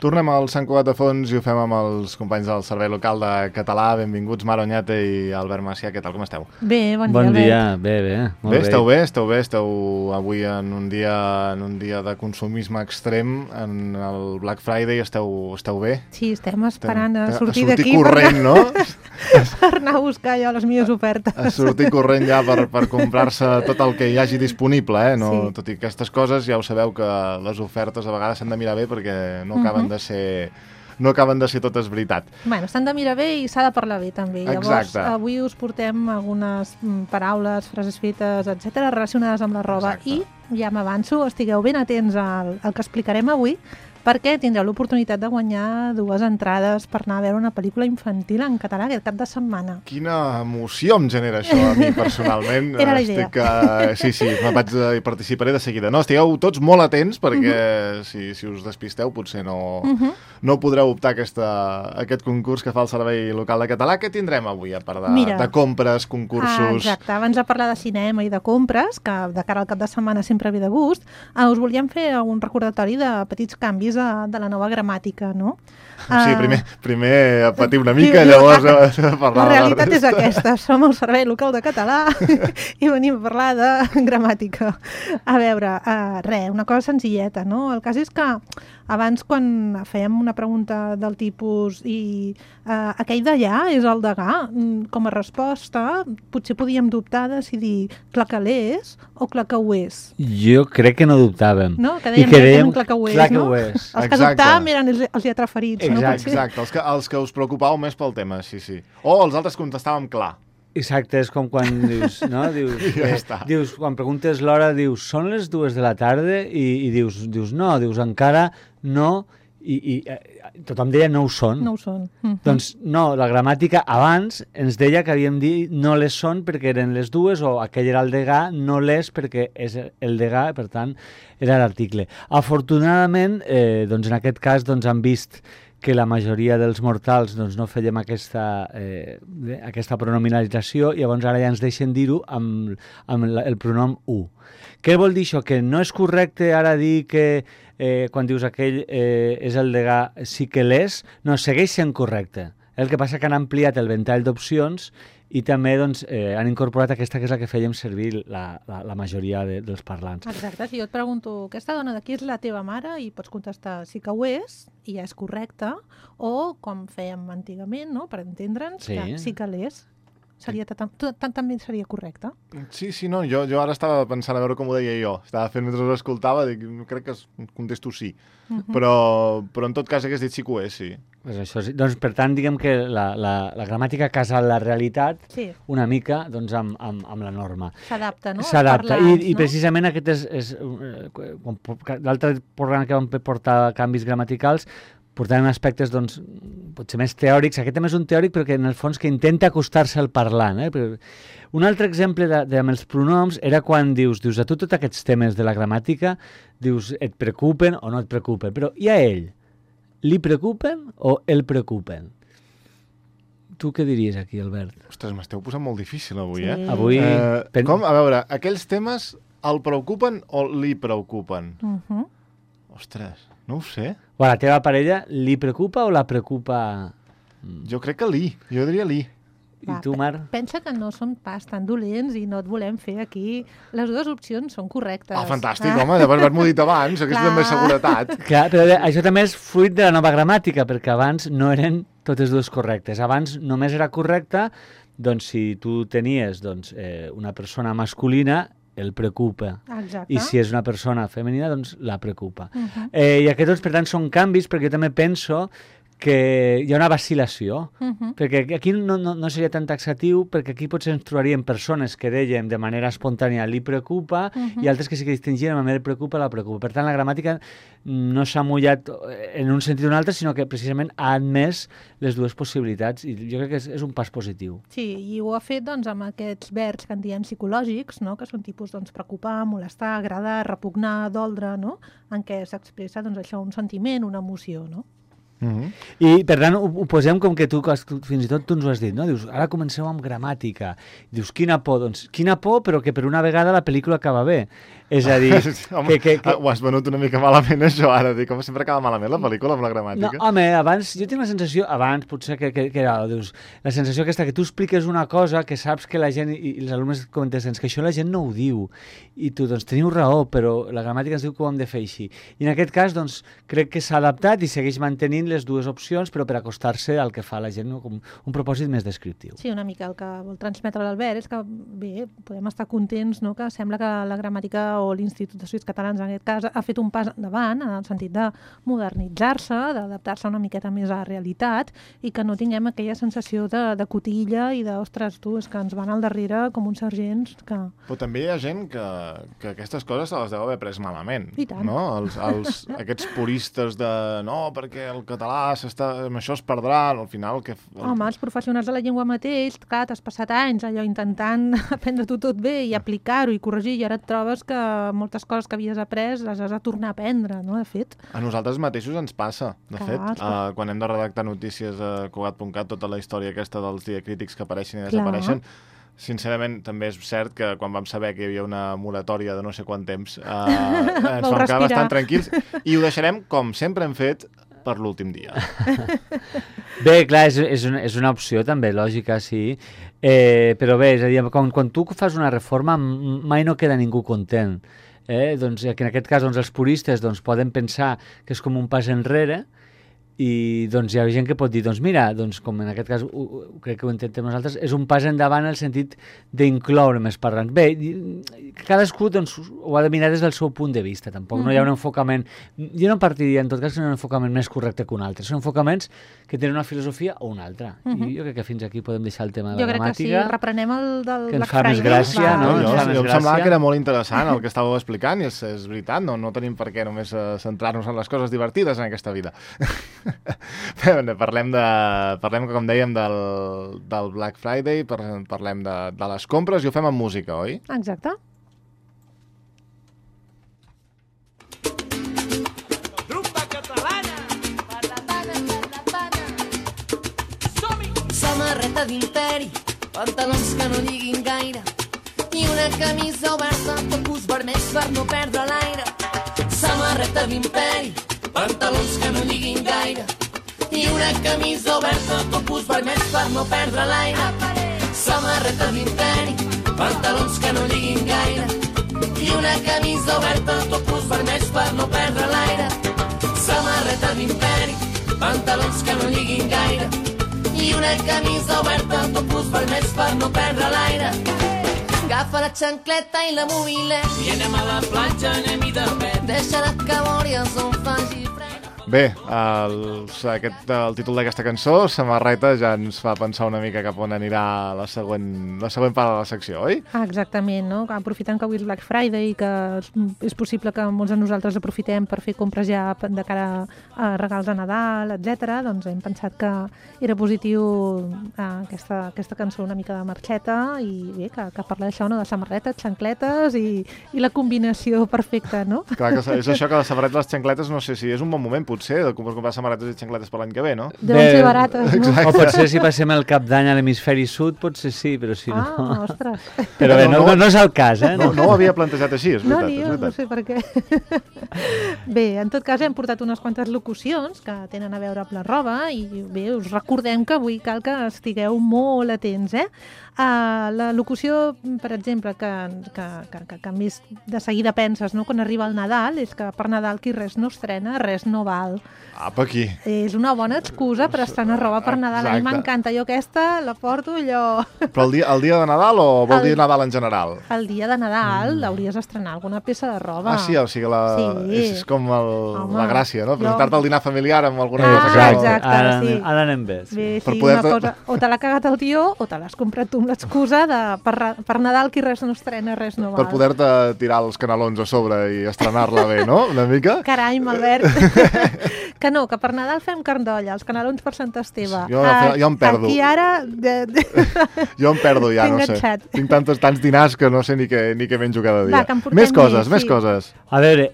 Tornem al Sant Cugat de Fons i ho fem amb els companys del Servei Local de Català. Benvinguts, Mar Oñate i Albert Macià. Què tal, com esteu? Bé, bon dia, Bon dia, Albert. bé. Esteu bé? Esteu avui en un dia de consumisme extrem, en el Black Friday, esteu bé? Sí, estem esperant a sortir sortir d'aquí corrent, no? per anar a buscar ja les millors ofertes. A sortir corrent ja per comprar-se tot el que hi hagi disponible, eh? No, Sí. Tot i aquestes coses, ja ho sabeu que les ofertes a vegades s'han de mirar bé perquè no acaben de ser totes veritat. Bueno, s'han de mirar bé i s'ha de parlar bé, també. Llavors, Exacte. avui us portem algunes paraules, frases fetes, etc relacionades amb la roba. Exacte. I ja m'avanço, estigueu ben atents al que explicarem avui, perquè tindreu l'oportunitat de guanyar 2 entrades per anar a veure una pel·lícula infantil en català aquest cap de setmana. Quina emoció em genera això a mi personalment. Era la idea. Sí, participaré de seguida. No, estigueu tots molt atents perquè si us despisteu potser no podreu optar a aquest concurs que fa el Servei Local de Català. Què tindrem avui, a part de compres, concursos? Exacte, abans de parlar de cinema i de compres, que de cara al cap de setmana sempre ve de gust, us volíem fer un recordatori de petits canvis de la nova gramàtica, no? Sí, primer patir una mica, llavors parlar la realitat de és aquesta, som el Servei Local de Català i venim a parlar de gramàtica. A veure, una cosa senzilleta, no? El cas és que abans, quan fèiem una pregunta del tipus i aquell d'allà és el degà, com a resposta potser podíem dubtar de si dir clacalés o clacaués. Jo crec que no dubtàvem. No? Que dèiem clacaués, no? Clacaués. Els que dubtàvem eren els lletraferits, no? Exacte, els que us preocupàveu més pel tema, sí. O els altres contestàvem clar. Exacte, és com quan dius, no? Dius, quan preguntes l'hora, dius, són les 2 de la tarda? I dius no, dius encara no, i tothom deia no ho són. No ho són. Doncs no, la gramàtica abans ens deia que havíem dit no les són perquè eren les 2, o aquell era el degà, no les perquè és el degà, per tant, era l'article. Afortunadament, doncs en aquest cas han vist que la majoria dels mortals no fèiem aquesta pronominalització, i llavors ara ja ens deixen dir-ho amb el pronom u. Què vol dir això? Que no és correcte ara dir que quan dius aquell és el degà sí que l'és, no, segueix sent correcte. El que passa que han ampliat el ventall d'opcions i també han incorporat aquesta que és la que fèiem servir la majoria dels parlants. Exacte, si jo et pregunto aquesta dona d'aquí és la teva mare i pots contestar sí que ho és i ja és correcte, o com fèiem antigament, no? Per entendre'ns, que sí que l'és. També seria correcte? Sí, no, jo ara estava pensant a veure com ho deia jo. Estava fent mentre ho escoltava, dic, crec que contesto sí. Però en tot cas hagués dit sí que ho és, sí. Pues això, doncs, per tant, diguem que la gramàtica casa la realitat una mica amb la norma. S'adapta, no? S'adapta, i precisament aquest és l'altre programa que vam portar canvis gramaticals, portant aspectes potser més teòrics. Aquest també és un teòric, però que en el fons que intenta acostar-se al parlant. Un altre exemple amb els pronoms era quan dius a tu tots aquests temes de la gramàtica, dius et preocupen o no et preocupen, però i a ell? Li preocupen o el preocupen? Tu què diries aquí, Albert? Ostres, m'esteu posant molt difícil avui, eh? Sí. Avui... Com? A veure, aquells temes el preocupen o li preocupen? Ostres, no ho sé. O a la teva parella li preocupa o la preocupa? Jo crec que jo diria li. I tu, Mar? Pensa que no som pas tan dolents i no et volem fer aquí. Les 2 opcions són correctes. Fantàstic, home, haver-m'ho dit abans, aquesta també és seguretat. Clar, però això també és fruit de la nova gramàtica, perquè abans no eren totes 2 correctes. Abans només era correcta, si tu tenies una persona masculina, el preocupa. Exacte. I si és una persona femenina, la preocupa. I aquests, per tant, són canvis, perquè jo també penso que hi ha una vacil·lació, perquè aquí no seria tan taxatiu, perquè aquí potser ens trobaríem persones que dèiem de manera espontània li preocupa i altres que sí que distingien amb el preocupa, la preocupa. Per tant, la gramàtica no s'ha mullat en un sentit o un altre, sinó que precisament ha admès les 2 possibilitats, i jo crec que és un pas positiu. Sí, i ho ha fet amb aquests verbs que en diem psicològics, no? Que són tipus preocupar, molestar, agradar, repugnar, doldre, no? En què s'expressa això, un sentiment, una emoció, no? I per tant ho posem com que tu fins i tot tu ens ho has dit, no? Dius, ara comenceu amb gramàtica. Dius, quina por? Doncs quina por, però que per una vegada la pel·lícula acaba bé. És a dir... Home, ho has venut una mica malament, això, ara. Dic, com sempre acaba malament la pel·lícula amb la gramàtica. No, home, abans, jo tinc la sensació, abans potser que era, dius, la sensació aquesta que tu expliques una cosa que saps que la gent, i els alumnes comenten que això la gent no ho diu, i tu, doncs, teniu raó, però la gramàtica ens diu que ho hem de fer així. I en aquest cas, doncs, crec que s'ha adaptat i segueix mantenint les dues opcions, però per acostar-se al que fa la gent, no? Com un propòsit més descriptiu. Sí, una mica el que vol transmetre l'Albert és que, bé, podem estar contents, no?, que sembla que la gramàtica o l'Institut d'Estudis Catalans, en aquest cas, ha fet un pas endavant en el sentit de modernitzar-se, d'adaptar-se una miqueta més a la realitat i que no tinguem aquella sensació de cotilla i de, ostres, tu, és que ens van al darrere com uns sergents que... Però també hi ha gent que aquestes coses se les deu haver pres malament. I tant. No? Aquests puristes de no, perquè el català amb això es perdrà, al final... Home, els professionals de la llengua mateix, clar, t'has passat anys allò intentant aprendre-t'ho tot bé i aplicar-ho i corregir, i ara et trobes que moltes coses que havies après les has de tornar a aprendre, no?, de fet. A nosaltres mateixos ens passa, de fet. Quan hem de redactar notícies a Cugat.cat, tota la història aquesta dels diacrítics que apareixen i desapareixen, sincerament, també és cert que quan vam saber que hi havia una moratòria de no sé quant temps, ens vam quedar bastant tranquils i ho deixarem, com sempre hem fet, per l'últim dia. Bé, clar, és una opció també, lògica, sí. Però bé, és a dir, quan tu fas una reforma mai no queda ningú content. Doncs, que en aquest cas els puristes poden pensar que és com un pas enrere, i doncs hi ha gent que pot dir, doncs mira, doncs, com en aquest cas crec que ho intentem nosaltres, és un pas endavant en el sentit d'incloure més parlants. Bé, cadascú doncs, ho ha de mirar des del seu punt de vista, tampoc no hi ha un enfocament, jo no partiria en tot cas que no hi ha un enfocament més correcte que un altre, són enfocaments que tenen una filosofia o una altra, i jo crec que fins aquí podem deixar el tema de la gramàtica. Jo crec que sí, reprenem el del que ens fa més gràcia, no? Jo em semblava que era molt interessant el que estàveu explicant, i és veritat, no tenim per què només centrar-nos en les coses divertides en aquesta vida. Parlem, com dèiem, del Black Friday, parlem de les compres i ho fem amb música, oi? Exacte. Rumba catalana! Per la pana! Som-hi! Samarreta d'imperi, pantalons que no lliguin gaire i una camisa oberta, topus vermells per no perdre l'aire. Samarreta d'imperi, pantalons que no lliguin gaire i una camisa oberta, topus vermells per no perdre l'aire. Samarreta d'imperi, pantalons que no lliguin gaire i una camisa oberta, topus vermells per no perdre l'aire. Samarreta d'imperi, pantalons que no lliguin gaire i una camisa oberta, topus vermells per no perdre l'aire. Agafa la xancleta i la mobilet I anem a la platja, anem-hi de pet. deixa-la que vòries on faci fred. Bé, el títol d'aquesta cançó, Samarreta, ja ens fa pensar una mica cap on anirà la següent part de la secció, oi? Exactament, no? Aprofitant que avui és Black Friday i que és possible que molts de nosaltres aprofitem per fer compres ja de cara a regals de Nadal, etc. Doncs hem pensat que era positiu aquesta cançó una mica de marxeta i bé, que parla d'això, no? De samarretes, xancletes i la combinació perfecta, no? Clar, que és això que la samarreta i les xancletes, no sé si és un bon moment, potser, de comprar samarretes i xancletes per l'any que ve, no? Deuen ser barates, no? Exacte. O potser si passem el cap d'any a l'hemisferi sud, potser sí, però si no... Ostres! Però bé, no és el cas, eh? No ho havia plantejat així, és veritat. No, ni jo, no sé per què. Bé, en tot cas hem portat unes quantes locucions que tenen a veure amb la roba i bé, us recordem que avui cal que estigueu molt atents, eh? La locució, per exemple, que més de seguida penses, no?, quan arriba el Nadal, és que per Nadal qui res no estrena, res no val. Apa, aquí. És una bona excusa per estrenar roba per Nadal. A mi m'encanta. Jo aquesta la porto allò... Però el dia de Nadal o vol dir Nadal en general? El dia de Nadal hauries d'estrenar alguna peça de roba. Ah, sí, o sigui, és com la gràcia, no? Presentar-te al dinar familiar amb alguna cosa. Exacte, sí. Ara anem bé. Bé, sí, una cosa, o te l'ha cagat el tió o te l'has comprat tu amb l'excusa de per Nadal qui res no estrena, res no val. Per poder-te tirar els canelons a sobre i estrenar-la bé, no? Una mica? Carai, Albert. Que no, que per Nadal fem carn d'olla, els canelons per Sant Esteve. Jo em perdo. Aquí ara... Jo em perdo ja, no sé. Tinc tants dinars que no sé ni què menjo cada dia. Més coses. A veure,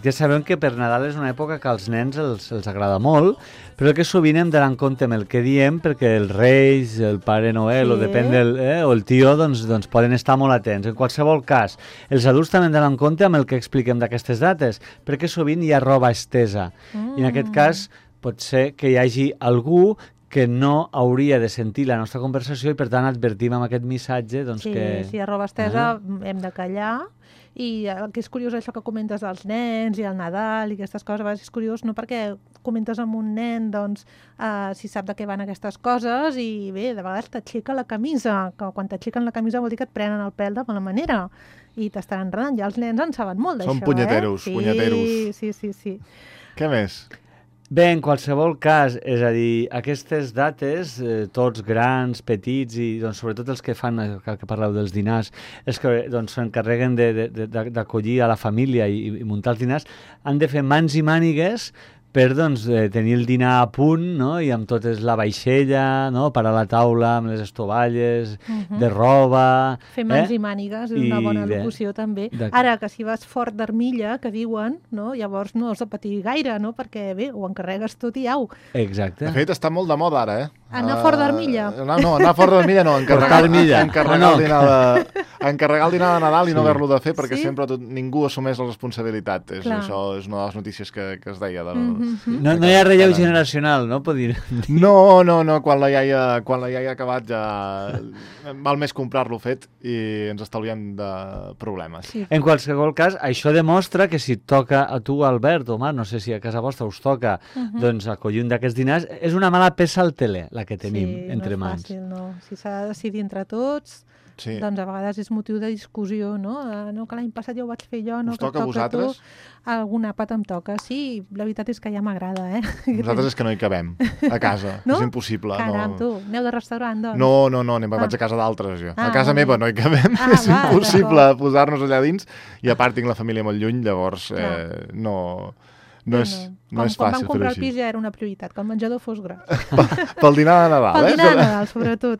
ja sabem que per Nadal és una època que als nens els agrada molt, però que sovint hem d'anar en compte amb el que diem, perquè els Reis, el Pare Noel, o depèn o el tio doncs poden estar molt atents. En qualsevol cas, els adults també han d'anar en compte amb el que expliquem d'aquestes dates, perquè sovint hi ha roba estesa. I en aquest cas pot ser que hi hagi algú que no hauria de sentir la nostra conversació i, per tant, advertim amb aquest missatge doncs, Sí, que... si hi ha roba estesa hem de callar. I el que és curiós això que comentes dels nens i el Nadal i aquestes coses, a vegades és curiós no perquè comentes amb un nen doncs, si sap de què van aquestes coses i bé, de vegades t'aixeca la camisa, que quan t'aixequen la camisa vol dir que et prenen el pèl de mala manera i t'estan enredant. Ja els nens en saben molt d'això. Són punyeteros, punyeteros. Sí. Què més? Bé, en qualsevol cas, és a dir, aquestes dates, tots grans, petits i doncs, sobretot els que fan, que parleu dels dinars, els que doncs, s'encarreguen d'acollir a la família i muntar els dinars, han de fer mans i mànigues per doncs, tenir el dinar a punt, no? I amb totes la vaixella, no? Parar la taula amb les estovalles, de roba... Fer mans i mànigues és una bona bé, locució també. Ara, que si vas fort d'armilla, que diuen, no? Llavors no has de patir gaire, no? Perquè bé, ho encarregues tot i au. Exacte. De fet, està molt de moda ara, Anar fort d'armilla? No, anar fort d'armilla no, encarregar el dinar de Nadal i no haver-lo de fer perquè sempre ningú assumeix la responsabilitat. Això és una de les notícies que es deia. No hi ha relleu generacional, no? Pot dir. No, quan la iaia ha acabat ja val més comprar-lo fet i ens estalviem de problemes. Sí. En qualsevol cas, això demostra que si et toca a tu, Albert, o Marc, no sé si a casa vostra us toca doncs acollir un d'aquests dinars, és una mala peça al teler, la que tenim entre mans. Sí, no és fàcil, no. Si s'ha de decidir entre tots, doncs a vegades és motiu de discussió, no? No, que l'any passat ja ho vaig fer jo, no? Us toca a vosaltres? Algun àpat em toca, sí. La veritat és que ja m'agrada, Nosaltres és que no hi cabem, a casa. No? És impossible. Caram, tu, aneu de restaurant, doncs. No, vaig a casa d'altres, jo. A casa meva no hi cabem, és impossible posar-nos allà dins, i a part tinc la família molt lluny, llavors no és fàcil Quan vam fer-ho comprar el així. pis ja era una prioritat, que el menjador fos gros. Pel dinar de Nadal, Pel dinar de Nadal, sobretot.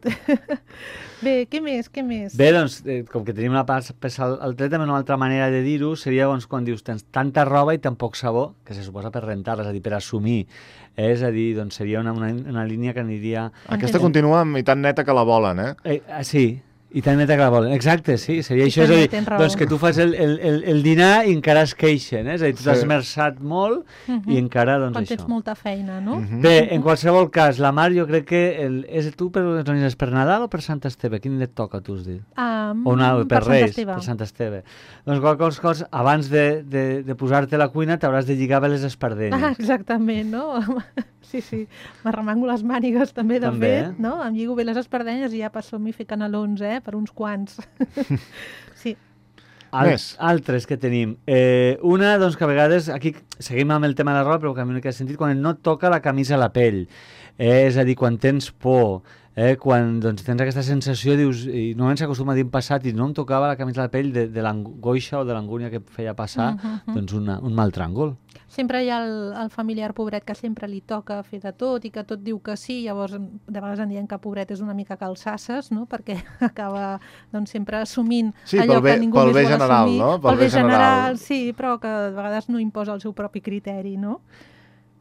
Bé, què més? Bé, doncs, com que tenim una peça al tret, també una altra manera de dir-ho seria doncs, quan dius tens tanta roba i tan poc sabó, que se suposa per rentar-la, és a dir, per assumir. És a dir, doncs seria una línia que aniria... Aquesta continua i tan neta que la volen, Sí, i tan neta que la volen. Exacte, sí, seria això. És a dir, doncs que tu fas el dinar i encara es queixen, és a dir, tu t'has esmerçat molt i encara, doncs, quan tens molta feina, no? Bé, en qualsevol cas, la Mar, jo crec que és tu per Nadal o per Sant Esteve? Quin et toca, tu has dit? Per Reis, per Sant Esteve. Doncs qualsevol cosa, abans de posar-te a la cuina t'hauràs de lligar bé les espardenyes. Exactament, no? Sí. M'arremango les mànigues també, de fet, no? Em lligo bé les espardenyes i ja passo-m'hi fer canelons, per uns quants. Sí. Altres que tenim. Una, doncs, que a vegades, aquí seguim amb el tema de la roba, però que a mi no he sentit, quan no et toca la camisa a la pell. És a dir, quan tens por, quan doncs, tens aquesta sensació, dius, i normalment s'acostuma a dir en passat, i no em tocava la camisa a la pell de l'angoixa o de l'angúnia que feia passar doncs un mal tràngol. Sempre hi ha el familiar pobret que sempre li toca fer de tot i que tot diu que sí, llavors de vegades en diem que pobret és una mica calçasses, no? Perquè acaba doncs, sempre assumint allò que ningú més vol assumir. No? Pel bé general, sí, però que de vegades no imposa el seu propi criteri, no?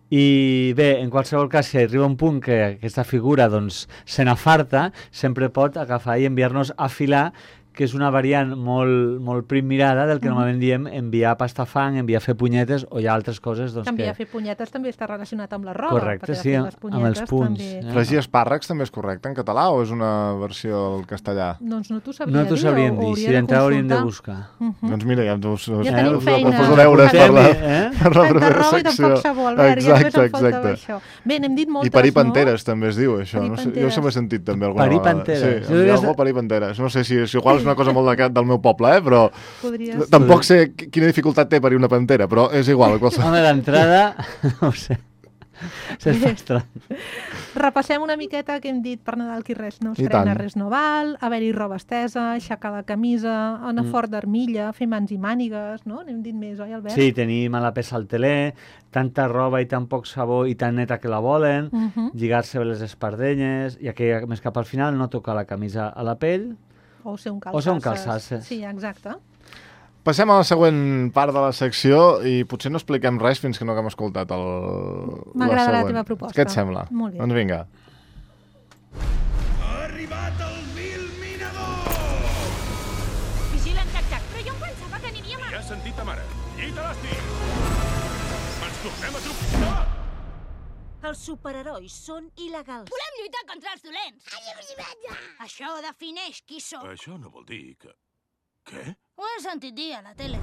I bé, en qualsevol cas, si arriba un punt que aquesta figura doncs, se n'afarta, sempre pot agafar i enviar-nos a filar, que és una variant molt prim mirada del que normalment diem enviar pastafang, enviar a fer punyetes o hi ha altres coses doncs, enviar a fer punyetes també està relacionat amb la roba. Correcte, sí, amb els punts. Fregir espàrrecs també és correcte en català o és una versió al castellà? Doncs no t'ho sabria dir. No t'ho sabríem dir, si d'entrada hauríem de buscar. Doncs mira, ja tenim feina. Poso deures per la propera secció. Tanta roba i tampoc sabó, Albert, ja només em faltava això. Bé, n'hem dit moltes, no? I parir panteres també es diu, això. Jo sempre he sentit també alguna vegada. Parir panteres. Sí, algú parir panteres. No sé si igual és una cosa molt del meu poble, però tampoc sé quina dificultat té parir una pantera, però és igual. Home, d'entrada, no ho sé. Repassem una miqueta que hem dit per Nadal qui res no estrena, res no val, haver-hi roba estesa, aixecar la camisa, anar fort d'armilla, fer mans i mànigues, no? N'hem dit més, oi, Albert? Sí, tenir mala peça al teler, tanta roba i tan poc sabó i tan neta que la volen, lligar-se bé les espardenyes, i que més cap al final no tocar la camisa a la pell, o ser un calçasses. Sí, exacte. Passem a la següent part de la secció i potser no expliquem res fins que no haguem escoltat la següent. M'agrada la teva proposta. Què et sembla? Molt bé. Doncs vinga. Ha arribat el 1000 has sentit ta mare. Llit a l'estic! Ens tornem a trucar! Els superherois són il·legals. Volem lluitar contra els dolents. Això defineix qui som. Això no vol dir que... Què? Ho he sentit dir a la tele.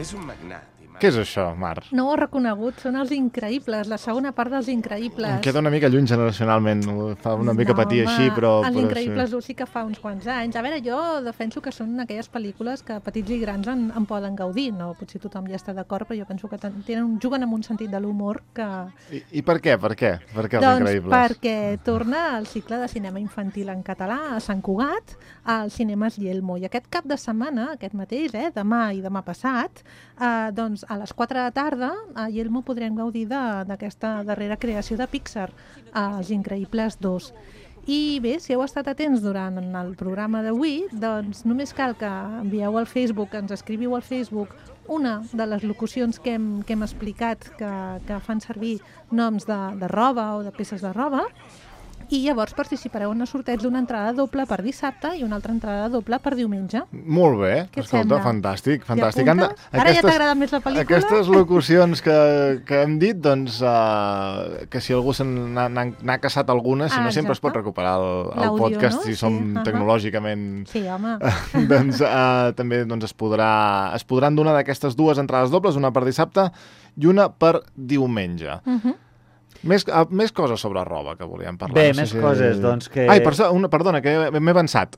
És un magnat. Què és això, Mar? No ho he reconegut, són els Increïbles, la segona part dels Increïbles. Em queda una mica lluny generacionalment, fa una mica patir així, però... Els Increïbles sí que fa uns quants anys. A veure, jo defenso que són aquelles pel·lícules que petits i grans en poden gaudir, no? Potser tothom ja està d'acord, però jo penso que juguen amb un sentit de l'humor que... I per què? Per què? Per què els Increïbles? Doncs perquè torna el cicle de cinema infantil en català a Sant Cugat, als cinemes Yelmo. I aquest cap de setmana, aquest mateix, demà i demà passat, doncs a les 4 de la tarda a Yelmo podrem gaudir d'aquesta darrera creació de Pixar, Els Increïbles 2. I bé, si heu estat atents durant el programa d'avui, doncs només cal que envieu al Facebook, ens escriviu al Facebook una de les locucions que hem explicat que fan servir noms de roba o de peces de roba, i llavors participareu en el sorteig d'una entrada doble per dissabte i una altra entrada doble per diumenge. Molt bé, Què escolta, sembla? fantàstic. Ara ja t'ha agradat més la pel·lícula? Aquestes locucions que hem dit, doncs, que si algú n'ha caçat alguna, si no sempre es pot recuperar el podcast, no? Si som tecnològicament... Sí, home. Doncs també es podran donar d'aquestes dues entrades dobles, una per dissabte i una per diumenge. Més coses sobre roba que volíem parlar. Bé, més coses, doncs que... Ai, perdona, que m'he avançat.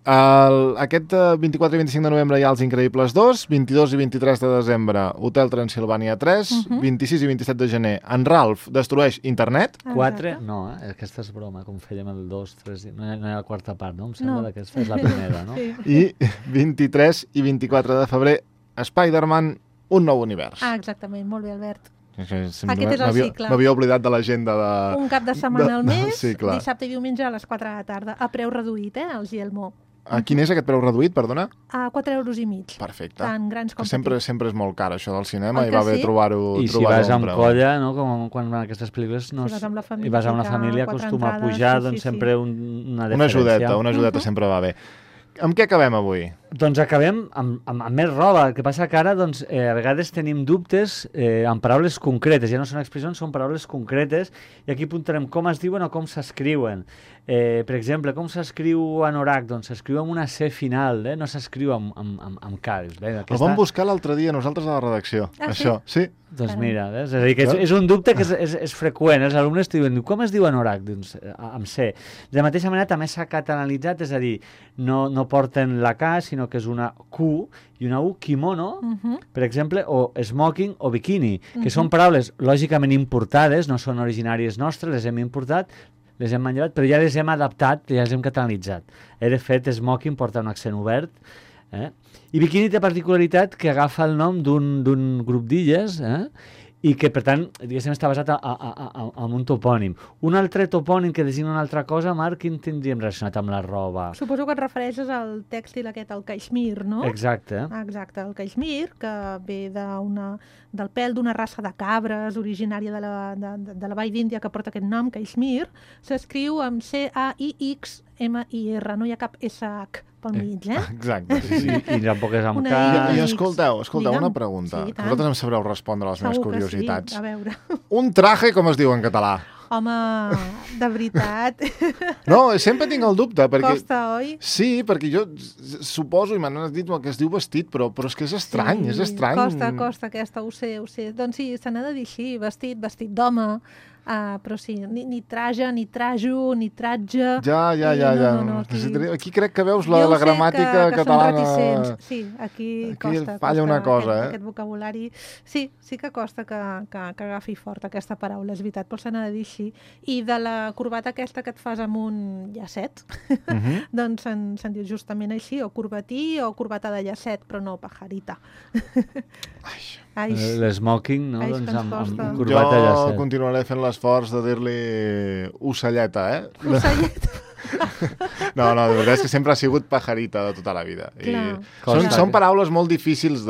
Aquest 24 i 25 de novembre hi ha Els Increïbles 2, 22 i 23 de desembre Hotel Transilvània 3, 26 i 27 de gener En Ralph destrueix internet. 4? No, aquesta és broma, com fèiem el 2, 3... No hi ha la quarta part, no? Em sembla que aquesta és la primera, no? I 23 i 24 de febrer Spider-Man, un nou univers. Exactament, molt bé, Albert. Aquest és el cicle. M'havia oblidat de l'agenda de... Un cap de setmana al mes, dissabte i diumenge a les 4 de la tarda, a preu reduït, els Yelmo. Quin és aquest preu reduït, perdona? A 4,5 €. Perfecte. Tant grans com sempre és molt car, això del cinema, i va bé trobar-ho. I si vas amb colla, no? Com quan van aquestes pel·lícules, si vas amb la família, i vas amb la família, acostuma a pujar, doncs sempre una diferència. Una ajudeta sempre va bé. Amb què acabem avui? Doncs acabem amb més roba. El que passa que ara, doncs, a vegades tenim dubtes amb paraules concretes. Ja no són expressions, són paraules concretes. I aquí apuntarem com es diuen o com s'escriuen. Per exemple, com s'escriu anorac? Doncs s'escriu amb una C final, no s'escriu amb K. El vam buscar l'altre dia nosaltres a la redacció. Això, sí? Doncs mira, és a dir, que és un dubte que és freqüent. Els alumnes t'ho diuen, com es diu anorac? Doncs amb C. De la mateixa manera també s'ha catalanitzat, és a dir, no porten la K, sinó que és una Q i una U, kimono, per exemple, o smoking o bikini, que són paraules lògicament importades, no són originàries nostres, les hem importat, les hem manllevat, però ja les hem adaptat, ja les hem catalanitzat. De fet, smoking porta un accent obert, i bikini té particularitat que agafa el nom d'un grup d'illes, i que, per tant, diguéssim, està basat en un topònim. Un altre topònim que designa una altra cosa, Marc, quin tindríem relacionat amb la roba? Suposo que et refereixes al tèxtil aquest, el caixmir, no? Exacte. Exacte, el caixmir, que ve del pèl d'una raça de cabres originària de la Vall d'Índia que porta aquest nom, caixmir, s'escriu amb C-A-I-X-M-I-R, no hi ha cap S-H pel mig, Exacte, sí. I tampoc és amb K. I escolteu, una pregunta. Sí, vosaltres em sabreu respondre a les meves curiositats. Sí, a veure. Un traje, com es diu en català? Home, de veritat. No, sempre tinc el dubte. Perquè... Costa, oi? Sí, perquè jo suposo, i m'han dit que es diu vestit, però és que és estrany, és estrany. Costa aquesta, ho sé. Doncs sí, se n'ha de dir així, vestit d'home. Però sí, ni traja, ni trajo, ni tratge... Ja. No, aquí crec que veus la gramàtica catalana... Sí, aquí costa. Falla una cosa, Aquest vocabulari... Sí que costa que agafi fort aquesta paraula, és veritat, però se n'ha de dir així. I de la corbata aquesta que et fas amb un llacet, doncs se'n diu justament així, o corbatí o corbata de llacet, però no pajarita. L'esmoking, no? Doncs amb corbata de llacet. Jo continuaré fent l'esforç de dir-li ocelleta, Ocelleta. No, de veritat és que sempre ha sigut pajarita de tota la vida. Són paraules molt difícils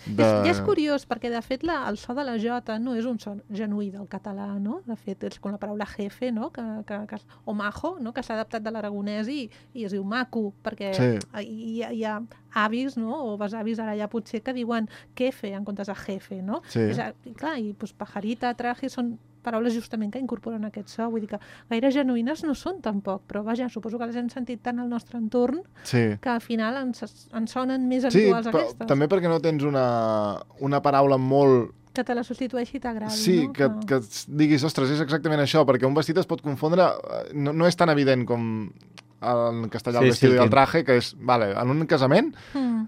I és curiós, perquè de fet el so de la J no és un so genuí del català, no? De fet, és com la paraula jefe, no? O majo, no? Que s'ha adaptat de l'aragonès i es diu maco, perquè hi ha avis, no? O besavis ara ja potser que diuen kefe en comptes de jefe, no? Sí. Clar, i pajarita, traje, són paraules justament que incorporen aquest so, vull dir que gaire genuïnes no són tampoc, però vaja, suposo que les hem sentit tant al nostre entorn que al final ens sonen més habituals aquestes. Sí, també perquè no tens una paraula molt... Que te la substitueixi i t'agradi, sí, no? que diguis, ostres, és exactament això, perquè un vestit es pot confondre, no és tan evident com en castellà el vestido i el traje, que és, vale, en un casament,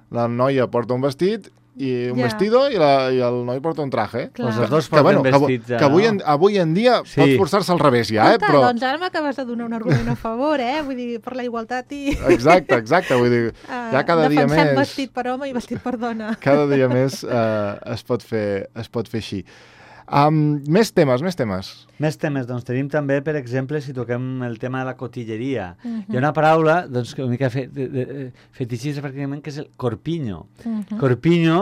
la noia porta un vestit i un vestido i el noi porta un traje. Pues els dos porten vestits. Que avui en dia pot forçar-se al revés ja, però... Doncs ara m'acabes de donar un argument a favor, vull dir, per la igualtat i... Exacte, vull dir, ja cada dia més... Defensem vestit per home i vestit per dona. Cada dia més es pot fer així. Més temes. Més temes, doncs tenim també, per exemple, si toquem el tema de la cotilleria. Hi ha una paraula, doncs, una mica fetichista pràcticament, que és el corpiño. Corpiño,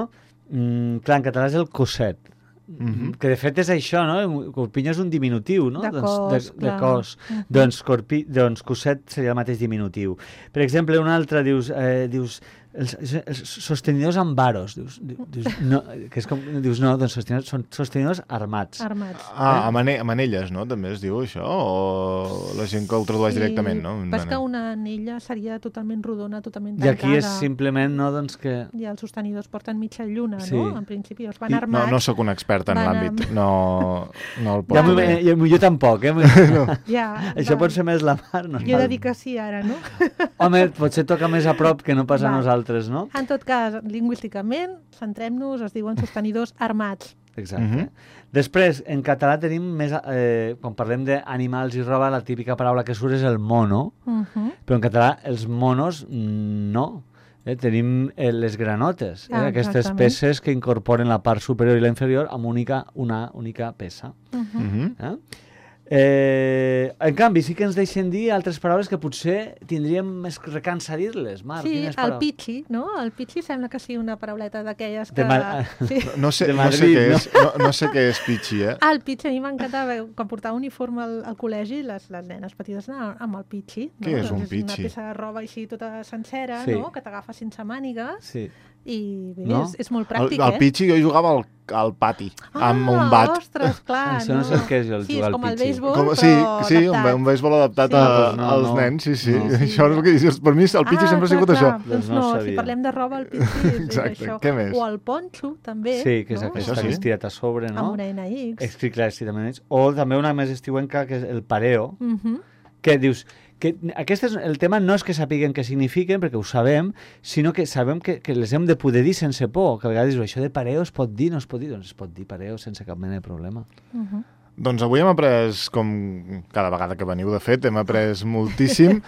clar, en català és el coset. Que de fet és això, no? Corpiño és un diminutiu, no? De cos. Doncs coset seria el mateix diminutiu. Per exemple, un altre dius els sostenidors amb varos, dius no, que és com, dius no, doncs són sostenidors armats. Manelles, no? També es diu això, o la gent que ho tradueix directament, no? Però és que una anella seria totalment rodona, totalment tancada. I aquí és simplement, no, doncs que... I els sostenidors porten mitja lluna, no? En principi, els van armats. No sóc un expert en l'àmbit, no el porto bé. Jo tampoc, Això pot ser més la mar. Jo he de dir que sí, ara, no? Home, potser toca més a prop que no pas a nosaltres. No? En tot cas, lingüísticament, centrem-nos, es diuen sostenidors armats. Exacte. Després, en català tenim més... quan parlem d'animals i roba, la típica paraula que surt és el mono, però en català els monos no. Tenim les granotes, aquestes peces que incorporen la part superior i la inferior amb una única peça. En canvi, sí que ens deixen dir altres paraules que potser tindríem més recança dir-les. Marc, sí, el pitxi, no? El pitxi sembla que sigui una parauleta d'aquelles que... No sé què és pitxi, El pitxi, a mi m'encantava, quan portava uniforme al col·legi, les nenes petites anaven amb el pitxi. Què és un pitxi? És una peça de roba així tota sencera, no? Que t'agafa sense mànigues. Sí. I bé, és molt pràctic, El pitxi jo jugava al pati, amb un bat. Ostres, clar. Això no sé què és el jugar al pitxi. Sí, és com el béisbol, però adaptat. Un béisbol adaptat als nens, sí. Això és el que dius. Per mi el pitxi sempre ha sigut això. Doncs no, si parlem de roba, el pitxi és això. Què més? O el ponxo, també. Sí, que és aquest que està estirat a sobre, no? Amb una NX. Clar, estirat. O també una més estiuenca, que és el pareo, que dius... el tema no és que sapiguem què signifiquen, perquè ho sabem, sinó que sabem que les hem de poder dir sense por, que a vegades dius, això de pareo es pot dir, no es pot dir? Doncs es pot dir pareo sense cap mena de problema. Doncs avui hem après, com cada vegada que veniu, de fet, hem après moltíssim.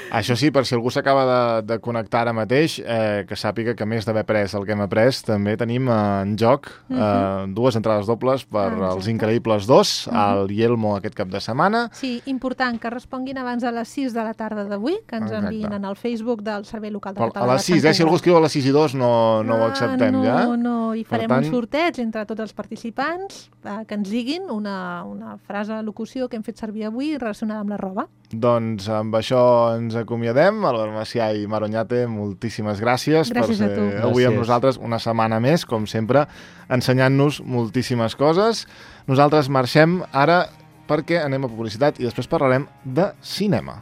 Això sí, per si algú s'acaba de connectar ara mateix, que sàpiga que a més d'haver après el que hem après, també tenim en joc 2 entrades dobles per als Increïbles 2, al Yelmo aquest cap de setmana. Sí, important que responguin abans de les 6 de la tarda d'avui, que ens enviïn en el Facebook del Servei Local de Català. A les 6, si algú escriu a les 6 i 2 no ho acceptem, ja? No, i farem un sorteig entre tots els participants que ens diguin una frase, locució que hem fet servir avui relacionada amb la roba. Doncs amb això ens acomiadem. Albert Macià i Mar Oñate, moltíssimes gràcies per ser avui amb nosaltres una setmana més, com sempre, ensenyant-nos moltíssimes coses. Nosaltres marxem ara perquè anem a publicitat i després parlarem de cinema.